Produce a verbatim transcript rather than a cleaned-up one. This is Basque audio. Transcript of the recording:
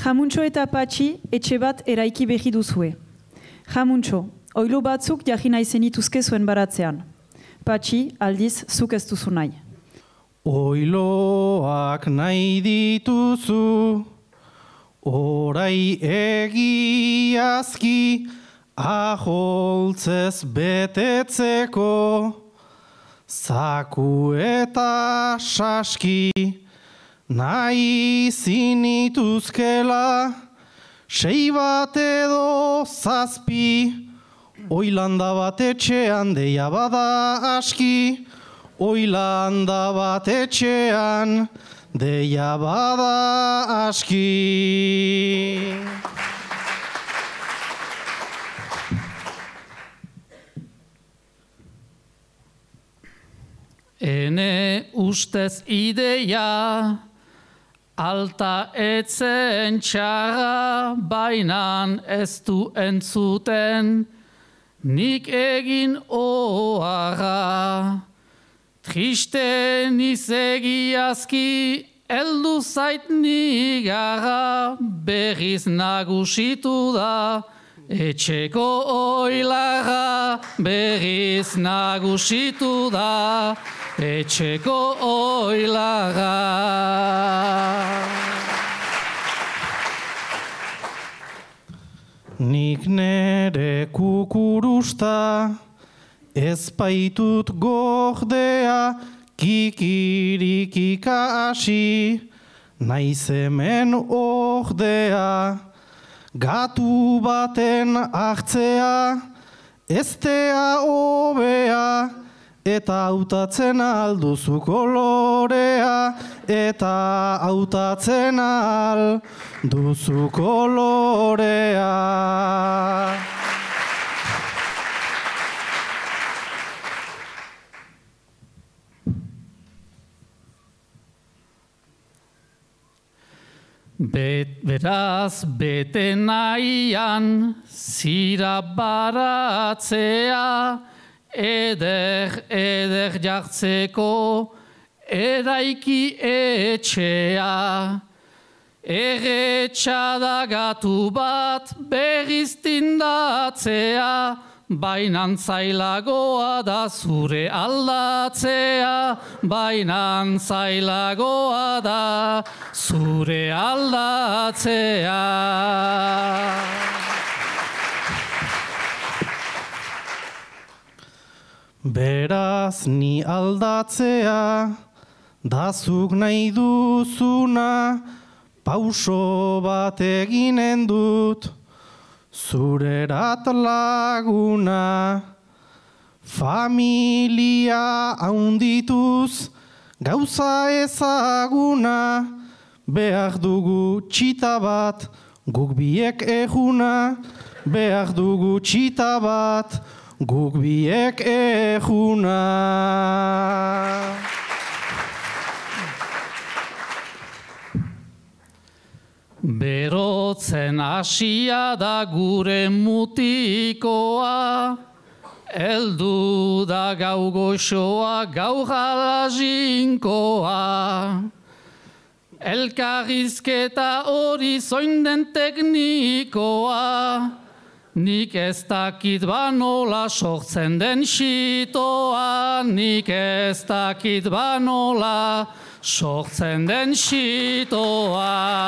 Jamuntxo eta Patxi etxe bat eraiki berri duzue. Jamuntxo, oilo batzuk jagina izenituzke zuen baratzean. Patxi, aldiz, zuk ez duzu nahi. Oiloak nahi dituzu, orai egiazki, aholtzez betetzeko, zaku eta saski, nahi zinituzkela, sei bat edo zazpi, oilanda bat etxean deia bada aski, oilanda bat etxean deia bada aski. Ene ustez ideia, alta etzen txarra, bainan ez du entzuten, nik egin oharra. Triste nizegiazki, eldu zait nigarra, berriz nagusitu da, etxeko oilarra, berriz nagusitu da, etxeko oilarra. Nik nere kukurusta, ez baitut gordea, kikirikika hasi, naiz hemen ordea. Gatu baten hartzea, eztea hobea, eta hautatzen alduzu kolorea, eta hautatzen alduzu kolorea. Bet, beraz, bete nahian, zira baratzea, eder, eder jartzeko, eraiki etxea. Erretxa gatu bat berriz tindatzea, bainan zailagoa da zure aldatzea, bainan zailagoa da zure aldatzea. Beraz ni aldatzea, dazuk nahi duzuna, pauso bat eginen dut, zurerat laguna. Familia haundituz, gauza ezaguna, behar dugu txita bat, guk biek eguna, behar dugu txita bat, guk biek eguna. Berotzen hasia da gure mutikoa, eldu da gau goxoa, gau jalazinkoa. Elkarrizketa hori zoinden teknikoa, nik ez dakit banola sortzen den xitoa, nik ez dakit banola sortzen den xitoa.